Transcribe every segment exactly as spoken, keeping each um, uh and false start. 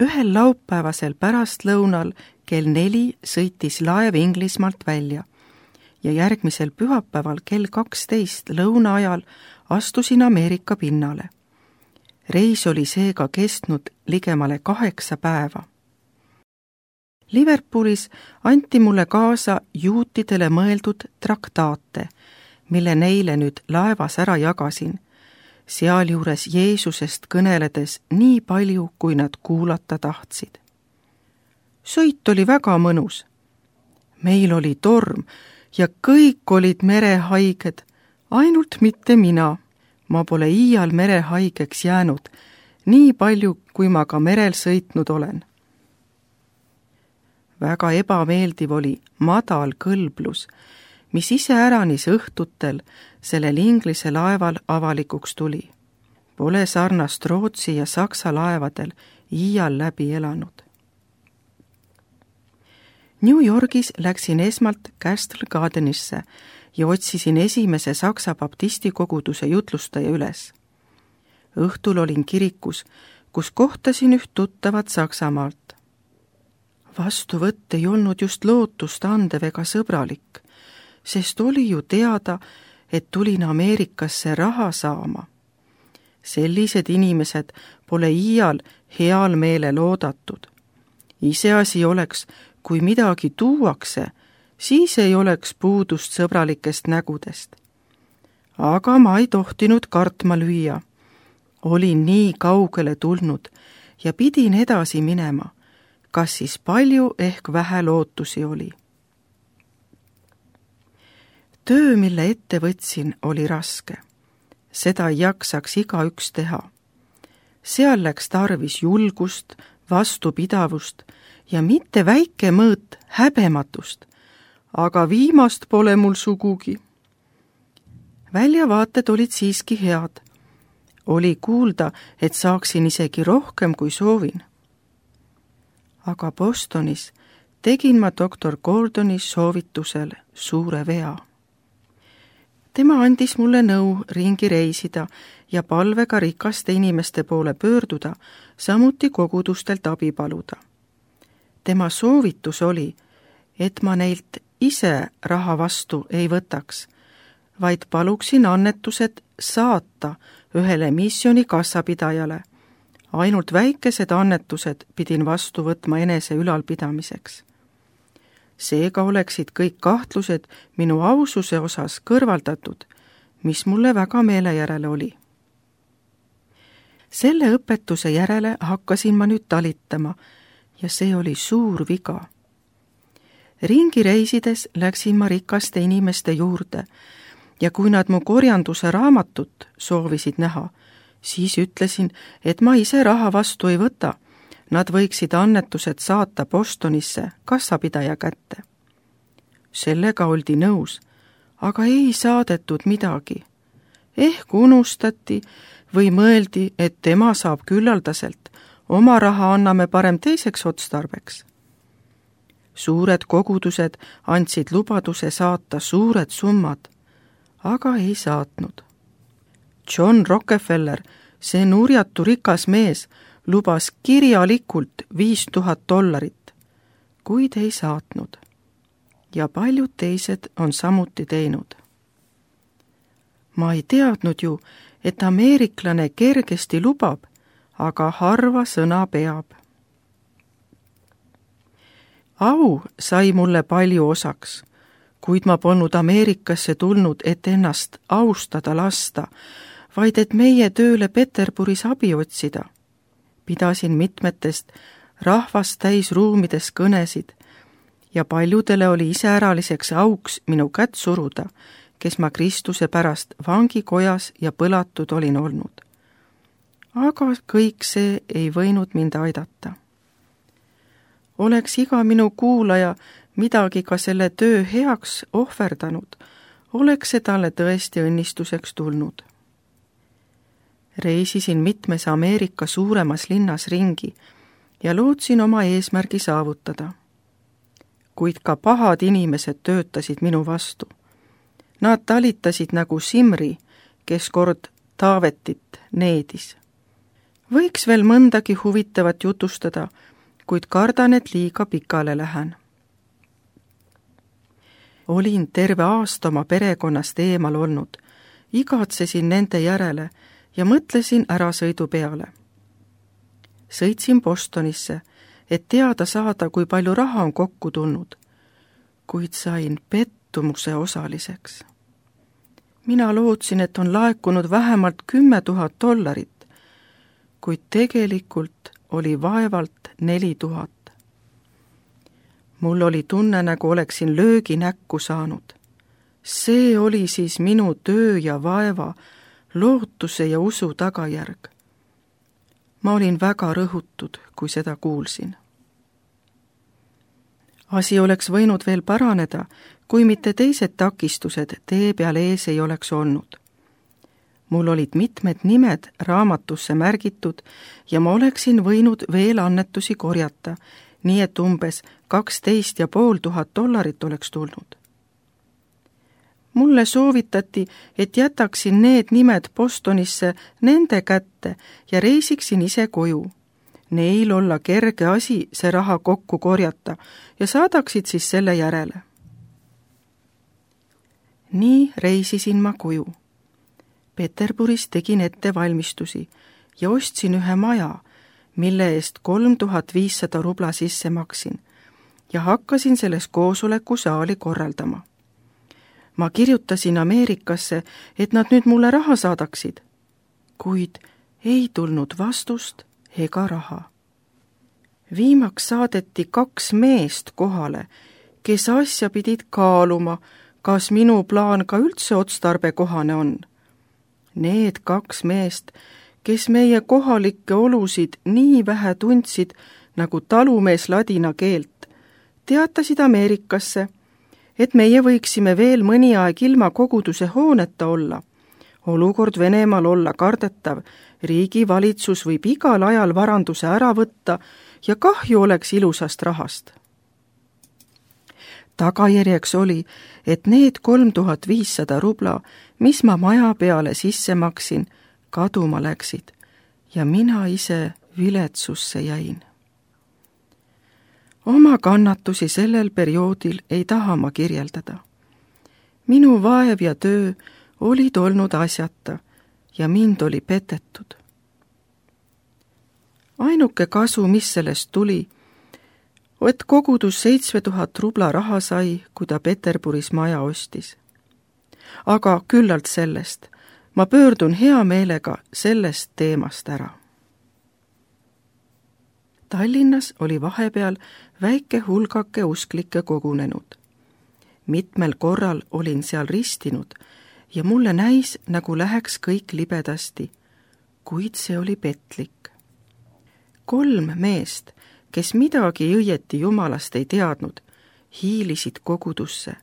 ühel laupäevasel pärastlõunal kell neli sõitis laev Inglismaalt välja ja järgmisel pühapäeval kell kaksteist lõuna ajal astusin Ameerika pinnale. Reis oli seega kestnud ligemale kaheksa päeva. Liverpoolis anti mulle kaasa juutidele mõeldud traktaate, mille neile nüüd laevas ära jagasin, sealjuures Jeesusest kõneledes nii palju, kui nad kuulata tahtsid. Sõit oli väga mõnus. Meil oli torm ja kõik olid merehaiged, ainult mitte mina. Ma pole iial merehaigeks jäänud, nii palju, kui ma ka merel sõitnud olen. Väga ebameeldiv oli madal kõlblus, mis iseäranis õhtutel sellel Inglise laeval avalikuks tuli. Pole sarnast Rootsi ja Saksa laevadel iial läbi elanud. New Yorgis läksin esmalt Castle Gardenisse ja otsisin esimese Saksa baptisti koguduse jutlustaja üles. Õhtul olin kirikus, kus kohtasin üht tuttavat Saksamaalt. Vastuvõtt ei olnud just lootust andev ega sõbralik, sest oli ju teada, et tulin Ameerikasse raha saama. Sellised inimesed pole iial heal meelel oodatud. Iseasi oleks, kui midagi tuuakse, siis ei oleks puudust sõbralikest nägudest. Aga ma ei tohtinud kartma lüüa. Olin nii kaugele tulnud ja pidin edasi minema, kas siis palju ehk vähe lootusi oli. Töö, mille ette võtsin, oli raske. Seda ei jaksaks igaüks teha. Seal läks tarvis julgust, vastupidavust ja mitte väike mõõt häbematust, aga viimast pole mul sugugi. Väljavaated olid siiski head. Oli kuulda, et saaksin isegi rohkem kui soovin. Aga Bostonis tegin ma doktor Gordoni soovitusel suure vea. Tema andis mulle nõu ringi reisida ja palvega rikaste inimeste poole pöörduda, samuti kogudustelt abi paluda. Tema soovitus oli, et ma neilt ise raha vastu ei võtaks, vaid paluksin annetused saata ühele missiooni kassapidajale. Ainult väikesed annetused pidin vastu võtma enese ülalpidamiseks. Seega oleksid kõik kahtlused minu aususe osas kõrvaldatud, mis mulle väga meele järele oli. Selle õpetuse järele hakkasin ma nüüd talitama ja see oli suur viga. Ringi reisides läksin ma rikaste inimeste juurde ja kui nad mu korjanduse raamatut soovisid näha, siis ütlesin, et ma ise raha vastu ei võta. Nad võiksid annetused saata Bostonisse kassapidaja kätte. Sellega oldi nõus, aga ei saadetud midagi. Ehk unustati või mõeldi, et tema saab küllaldaselt, oma raha anname parem teiseks otstarbeks. Suured kogudused andsid lubaduse saata suured summad, aga ei saatnud. John Rockefeller, see nurjatu rikas mees, lubas kirjalikult viis tuhat dollarit, kuid ei saatnud. Ja paljud teised on samuti teinud. Ma ei teadnud ju, et ameeriklane kergesti lubab, aga harva sõna peab. Au sai mulle palju osaks, kuid ma polnud Ameerikasse tulnud, et ennast austada lasta, vaid et meie tööle Peterburis abi otsida. Pidasin mitmetest rahvast täis ruumides kõnesid ja paljudele oli iseäraliseks auks minu kätt suruda, kes ma Kristuse pärast vangikojas ja põlatud olin olnud. Aga kõik see ei võinud mind aidata. Oleks iga minu kuulaja midagi ka selle töö heaks ohverdanud, oleks see talle tõesti õnnistuseks tulnud. Reisisin mitmes Ameerika suuremas linnas ringi ja lootsin oma eesmärgi saavutada. Kuid ka pahad inimesed töötasid minu vastu. Nad talitasid nagu Simri, kes kord Taavetit needis. Võiks veel mõndagi huvitavat jutustada, kuid kardan, et liiga pikale lähen. Olin terve aasta oma perekonnast eemal olnud, igatsesin nende järele ja mõtlesin ärasõidu peale. Sõitsin Bostonisse, et teada saada, kui palju raha on kokku tulnud, kuid sain pettumuse osaliseks. Mina lootsin, et on laekunud vähemalt kümme tuhat dollarit, kuid tegelikult oli vaevalt neli tuhat. Mul oli tunne, nagu oleksin löögi näkku saanud. See oli siis minu töö ja vaeva, lootuse ja usu tagajärg. Ma olin väga rõhutud, kui seda kuulsin. Asi oleks võinud veel paraneda, kui mitte teised takistused tee peal ees ei oleks olnud. Mul olid mitmed nimed raamatusse märgitud ja ma oleksin võinud veel annetusi korjata, nii et umbes kaksteist ja pool tuhat dollarit oleks tulnud. Mulle soovitati, et jätaksin need nimed Bostonisse nende kätte ja reisiksin ise koju. Neil olla kerge asi see raha kokku korjata ja saadaksid siis selle järele. Nii reisisin ma koju. Peterburis tegin ettevalmistusi ja ostsin ühe maja, mille eest kolm tuhat viissada rubla sisse maksin ja hakkasin selles koosolekusaali korraldama. Ma kirjutasin Ameerikasse, et nad nüüd mulle raha saadaksid, kuid ei tulnud vastust ega raha. Viimaks saadeti kaks meest kohale, kes asja pidid kaaluma, kas minu plaan ka üldse otstarbekohane on. Need kaks meest, kes meie kohalikke olusid nii vähe tundsid nagu talumees ladina keelt, teatasid Ameerikasse, et meie võiksime veel mõni aeg ilma koguduse hooneta olla. Olukord Venemaal olla kardetav, riigi valitsus võib igal ajal varanduse ära võtta ja kahju oleks ilusast rahast. Tagajärjeks oli, et need kolm tuhat viissada rubla, mis ma maja peale sisse maksin, kaduma läksid ja mina ise viletsusse jäin. Oma kannatusi sellel perioodil ei taha ma kirjeldada. Minu vaev ja töö olid olnud asjata ja mind oli petetud. Ainuke kasu, mis sellest tuli, et kogudus seitse tuhat rubla raha sai, kui ta Peterburis maja ostis. Aga küllalt sellest, ma pöördun hea meelega sellest teemast ära. Tallinnas oli vahepeal väike hulgake usklikke kogunenud. Mitmel korral olin seal ristinud ja mulle näis, nagu läheks kõik libedasti, kuid see oli petlik. Kolm meest, kes midagi õieti jumalast ei teadnud, hiilisid kogudusse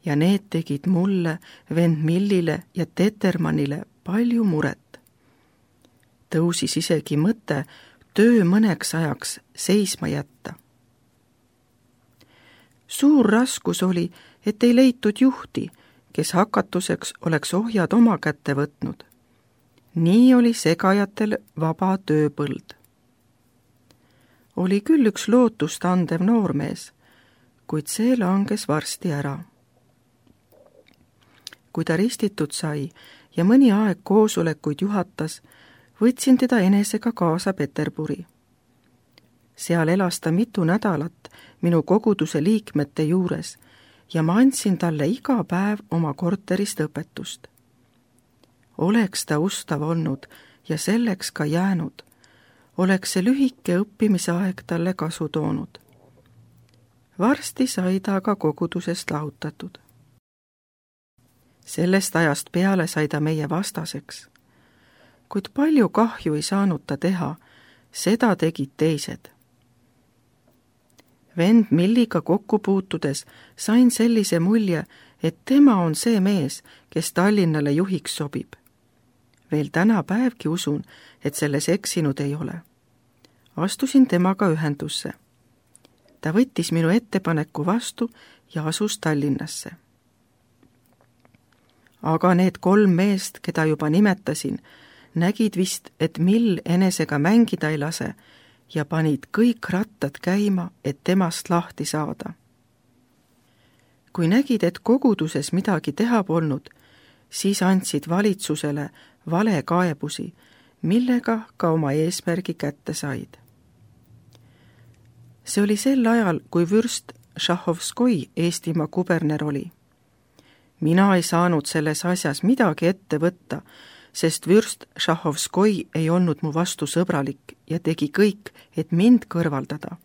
ja need tegid mulle, vend Millile ja Tetermannile palju muret. Tõusis isegi mõte töö mõneks ajaks seisma jätta. Suur raskus oli, et ei leitud juhti, kes hakatuseks oleks ohjad oma kätte võtnud. Nii oli segajatel vaba tööpõld. Oli küll üks lootust andev noormees, kuid see langes varsti ära. Kui ta ristitud sai ja mõni aeg koosolekuid juhatas, võtsin teda enesega kaasa Peterburi. Seal elas ta mitu nädalat minu koguduse liikmete juures ja ma andsin talle iga päev oma korterist õpetust. Oleks ta ustav olnud ja selleks ka jäänud, oleks see lühike õppimisaeg talle kasu toonud. Varsti sai ta aga kogudusest lahutatud. Sellest ajast peale sai ta meie vastaseks, kuid palju kahju ei saanud ta teha, seda tegid teised. Vend Milliga kokku puutudes sain sellise mulje, et tema on see mees, kes Tallinnale juhiks sobib. Veel täna päevgi usun, et selles eksinud ei ole. Astusin temaga ühendusse. Ta võttis minu ettepaneku vastu ja asus Tallinnasse. Aga need kolm meest, keda juba nimetasin, nägid vist, et Mill enesega mängida ei lase ja panid kõik rattad käima, et temast lahti saada. Kui nägid, et koguduses midagi teha polnud, siis andsid valitsusele valekaebusi, millega ka oma eesmärgi kätte said. See oli sel ajal, kui vürst Šahovskoi Eestimaa kuberner oli. Mina ei saanud selles asjas midagi ette võtta, sest vürst Šahovskoi ei olnud mu vastu sõbralik ja tegi kõik, et mind kõrvaldada.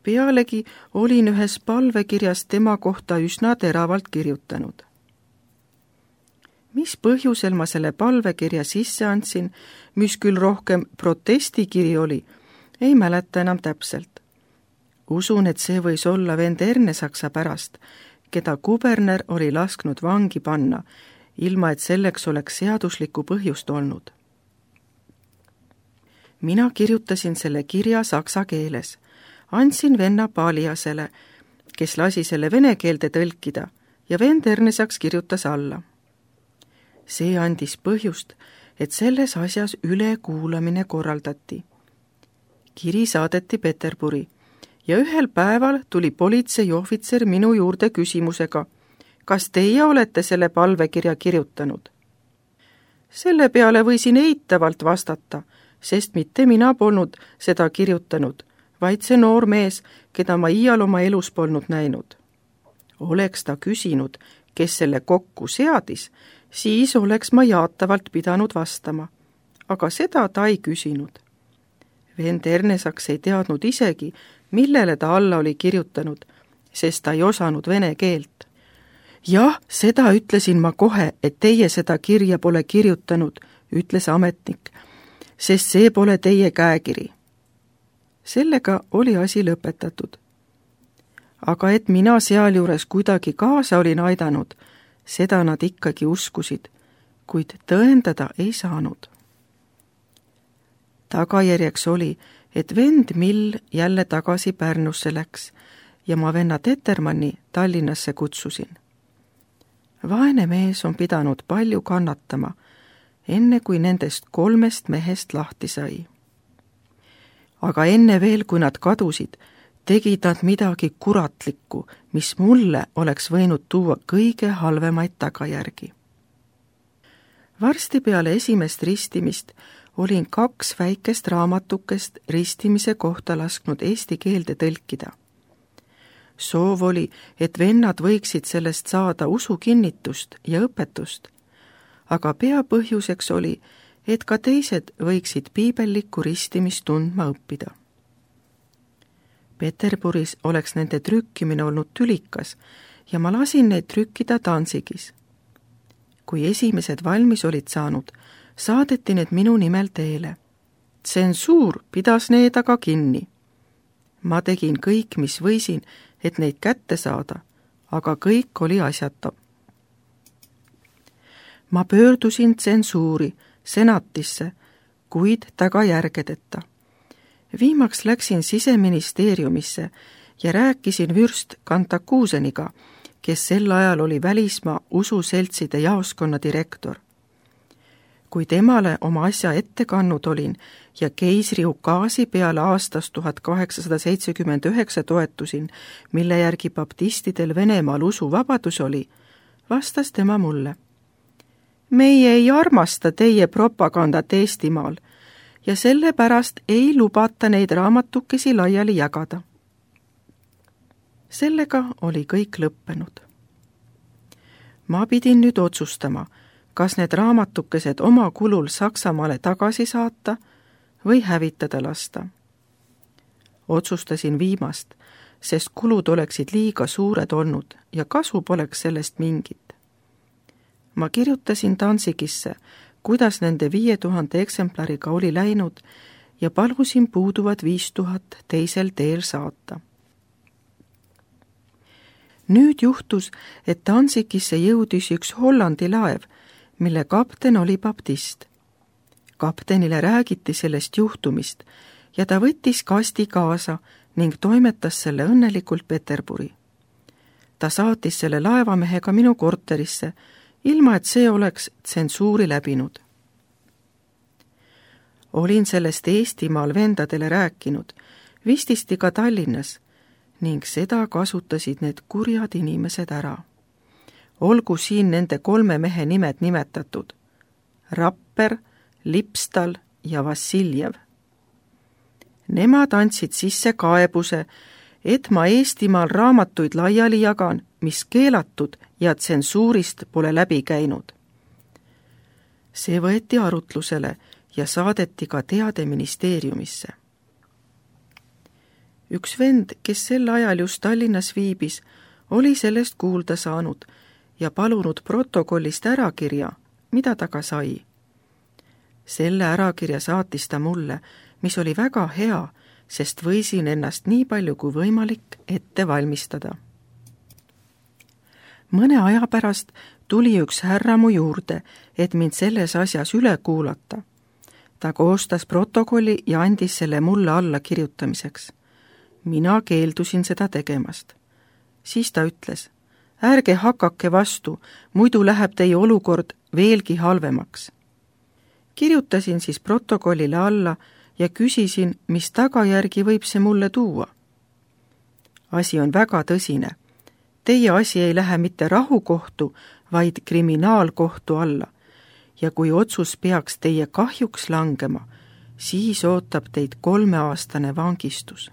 Pealegi olin ühes palvekirjas tema kohta üsna teravalt kirjutanud. Mis põhjusel ma selle palvekirja sisse andsin, mis küll rohkem protestikiri oli, ei mäleta enam täpselt. Usun, et see võis olla vend Ernesaksa pärast, keda kuberner oli lasknud vangi panna, ilma et selleks oleks seaduslikku põhjust olnud. Mina kirjutasin selle kirja saksa keeles, andsin venna Paliasele, kes lasi selle vene keelde tõlkida ja vend Ernesaks kirjutas alla. See andis põhjust, et selles asjas ülekuulamine korraldati. Kiri saadeti Peterburi ja ühel päeval tuli politseiohvitser minu juurde küsimusega, kas teie olete selle palvekirja kirjutanud? Selle peale võisin eitavalt vastata, sest mitte mina polnud seda kirjutanud, vaid see noor mees, keda ma iial oma elus polnud näinud. Oleks ta küsinud, kes selle kokku seadis, siis oleks ma jaatavalt pidanud vastama, aga seda ta ei küsinud. Vend Ernesaks ei teadnud isegi, millele ta alla oli kirjutanud, sest ta ei osanud vene keelt. Jah, seda ütlesin ma kohe, et teie seda kirja pole kirjutanud, ütles ametnik, sest see pole teie käekiri. Sellega oli asi lõpetatud. Aga et mina sealjuures kuidagi kaasa olin aidanud, seda nad ikkagi uskusid, kuid tõendada ei saanud. Tagajärjeks oli, et vend Mill jälle tagasi Pärnusse läks ja ma venna Tetermanni Tallinnasse kutsusin. Vaene mees on pidanud palju kannatama, enne kui nendest kolmest mehest lahti sai. Aga enne veel, kui nad kadusid, tegid nad midagi kuratlikku, mis mulle oleks võinud tuua kõige halvemaid tagajärgi. Varsti peale esimest ristimist olin kaks väikest raamatukest ristimise kohta lasknud eesti keelde tõlkida. Soov oli, et vennad võiksid sellest saada usukinnitust ja õpetust, aga peapõhjuseks oli, et ka teised võiksid piibellikku ristimist tundma õppida. Peterburis oleks nende trükkimine olnud tülikas ja ma lasin neid trükkida Danzigis. Kui esimesed valmis olid saanud, saadeti need minu nimel teele. Tsensuur pidas need aga kinni. Ma tegin kõik, mis võisin, et neid kätte saada, aga kõik oli asjata. Ma pöördusin tsensuuri, senatisse, kuid tagajärgedeta. Viimaks läksin siseministeeriumisse ja rääkisin vürst Kantakuuseniga, kes sel ajal oli välismaa ususeltside jaoskonna direktor. Kui temale oma asja ette kannud olin ja keisri ukaasi peale aastast tuhat kaheksasada seitsekümmend üheksa toetusin, mille järgi baptistidel Venemaal usuvabadus oli, vastas tema mulle. Meie ei armasta teie propagandat Eestimaal ja sellepärast ei lubata neid raamatukesi laiali jagada. Sellega oli kõik lõppenud. Ma pidin nüüd otsustama, kas need raamatukesed oma kulul Saksamaale tagasi saata või hävitada lasta. Otsustasin viimast, sest kulud oleksid liiga suured olnud ja kasu poleks sellest mingit. Ma kirjutasin Danzigisse, kuidas nende viie tuhande eksemplariga oli läinud ja palusin puuduvad viis tuhat teisel teel saata. Nüüd juhtus, et Danzigisse jõudis üks Hollandi laev, mille kapten oli baptist. Kaptenile räägiti sellest juhtumist ja ta võttis kasti kaasa ning toimetas selle õnnelikult Peterburi. Ta saatis selle laevamehega minu korterisse, ilma et see oleks tsensuuri läbinud. olin sellest Eestimaal vendadele rääkinud, vististi ka Tallinnas, ning seda kasutasid need kurjad inimesed ära. Olgu siin nende kolme mehe nimed nimetatud: Rapper, Lipstal ja Vassiljev. Nemad andsid sisse kaebuse, et ma Eestimaal raamatuid laiali jagan, mis keelatud ja tsensuurist pole läbi käinud. See võeti arutlusele ja saadeti ka teade ministeeriumisse. Üks vend, kes sel ajal just Tallinnas viibis, oli sellest kuulda saanud ja palunud protokollist ärakirja, mida ta ka sai. Selle ärakirja saatis ta mulle, mis oli väga hea, sest võisin ennast nii palju kui võimalik ette valmistada. Mõne aja pärast tuli üks härra mu juurde, et mind selles asjas üle kuulata. Ta koostas protokolli ja andis selle mulle alla kirjutamiseks. Mina keeldusin seda tegemast. Siis ta ütles: ärge hakake vastu, muidu läheb teie olukord veelgi halvemaks. Kirjutasin siis protokollile alla ja küsisin, mis tagajärgi võib see mulle tuua. Asi on väga tõsine. Teie asi ei lähe mitte rahukohtu, vaid kriminaalkohtu alla. Ja kui otsus peaks teie kahjuks langema, siis ootab teid kolmeaastane vangistus.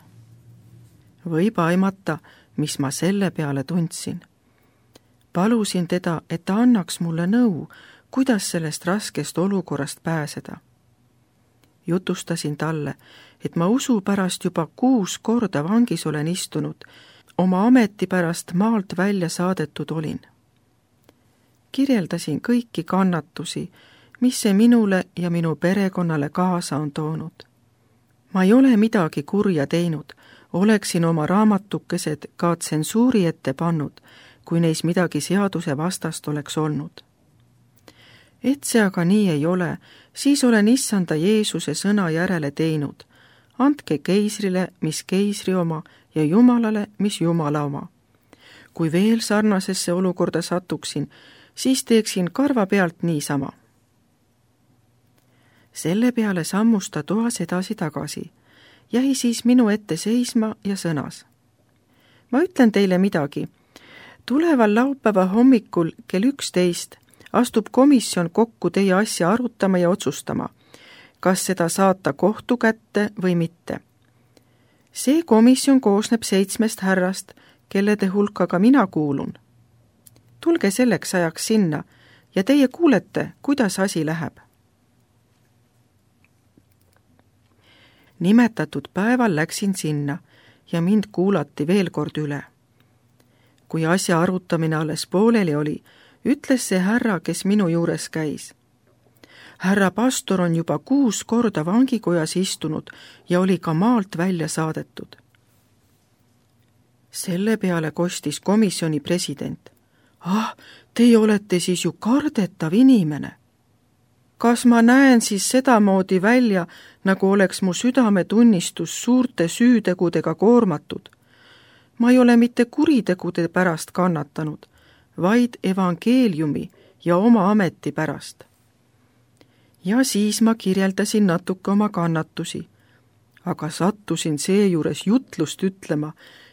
Võib aimata, mis ma selle peale tundsin. Palusin teda, et ta annaks mulle nõu, kuidas sellest raskest olukorrast pääseda. Jutustasin talle, et ma usu pärast juba kuus korda vangis olen istunud, oma ameti pärast maalt välja saadetud olin. Kirjeldasin kõiki kannatusi, mis see minule ja minu perekonnale kaasa on toonud. Ma ei ole midagi kurja teinud, oleksin oma raamatukesed ka tsensuuri ette pannud, kui neis midagi seaduse vastast oleks olnud. Et see aga nii ei ole, siis olen issanda Jeesuse sõna järele teinud. Andke keisrile, mis keisri oma, ja Jumalale, mis Jumala oma. Kui veel sarnasesse olukorda satuksin, siis teeksin karva pealt niisama. Selle peale sammus ta toas edasi tagasi, jäi siis minu ette seisma ja sõnas: ma ütlen teile midagi. Tuleval laupäeva hommikul kell üksteist astub komisjon kokku teie asja arutama ja otsustama, kas seda saata kohtu kätte või mitte. See komisjon koosneb seitsmest härrast, kellede hulka ka mina kuulun. Tulge selleks ajaks sinna ja teie kuulete, kuidas asi läheb. Nimetatud päeval läksin sinna ja mind kuulati veel kord üle. Kui asja arutamine alles pooleli oli, ütles see härra, kes minu juures käis: härra pastor on juba kuus korda vangikojas istunud ja oli ka maalt välja saadetud. Selle peale kostis komisjoni president: ah, teie olete siis ju kardetav inimene. Kas ma näen siis sedamoodi välja, nagu oleks mu südametunnistus suurte süütegudega koormatud? Ma ei ole mitte kuritegude pärast kannatanud, vaid evangeeliumi ja oma ameti pärast. Ja siis ma kirjeldasin natuke oma kannatusi, aga sattusin seejuures jutlust ütlema,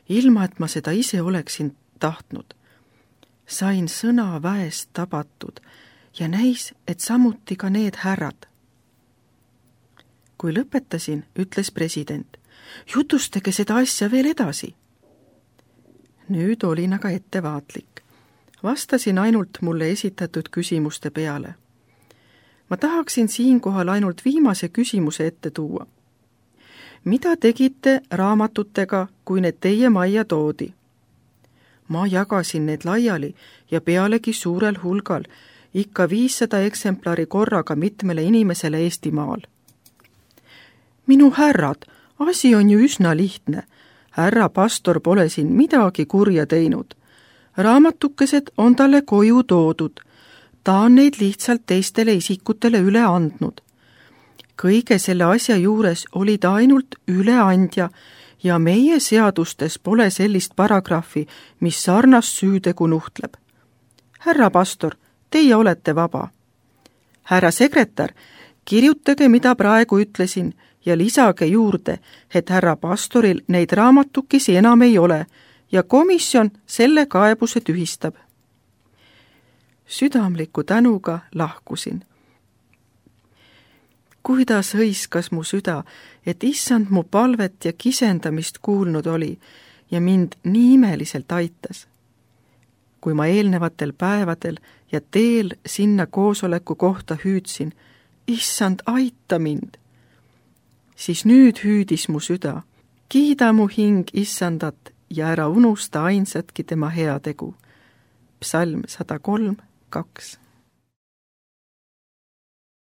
ilma et ma seda ise oleksin tahtnud. Sain sõna väest tabatud ja näis, et samuti ka need härrad. Kui lõpetasin, ütles president: jutustage seda asja veel edasi. Nüüd olin aga ettevaatlik. Vastasin ainult mulle esitatud küsimuste peale. Ma tahaksin siinkohal ainult viimase küsimuse ette tuua. Mida tegite raamatutega, kui need teie majja toodi? Ma jagasin need laiali ja pealegi suurel hulgal, ikka viissada eksemplari korraga mitmele inimesele Eestimaal. Minu härrad, asi on ju üsna lihtne. Härra pastor pole siin midagi kurja teinud. Raamatukesed on talle koju toodud. Ta on neid lihtsalt teistele isikutele üle andnud. Kõige selle asja juures oli ta ainult üleandja ja meie seadustes pole sellist paragrahvi, mis sarnast süütegu nuhtleb. Härra pastor, teie olete vaba. Härra sekretär, kirjutage, mida praegu ütlesin ja lisage juurde, et härra pastoril neid raamatukesi enam ei ole ja komisjon selle kaebuse tühistab. Südamliku tänuga lahkusin. Kuidas hõiskas mu süda, et issand mu palvet ja kisendamist kuulnud oli ja mind nii imeliselt aitas. Kui ma eelnevatel päevadel ja teel sinna koosoleku kohta hüüdsin, issand, aita mind, siis nüüd hüüdis mu süda, kiida mu hing issandat ja ära unusta ainsatki tema heategu. Psalm sada kolm, kaks.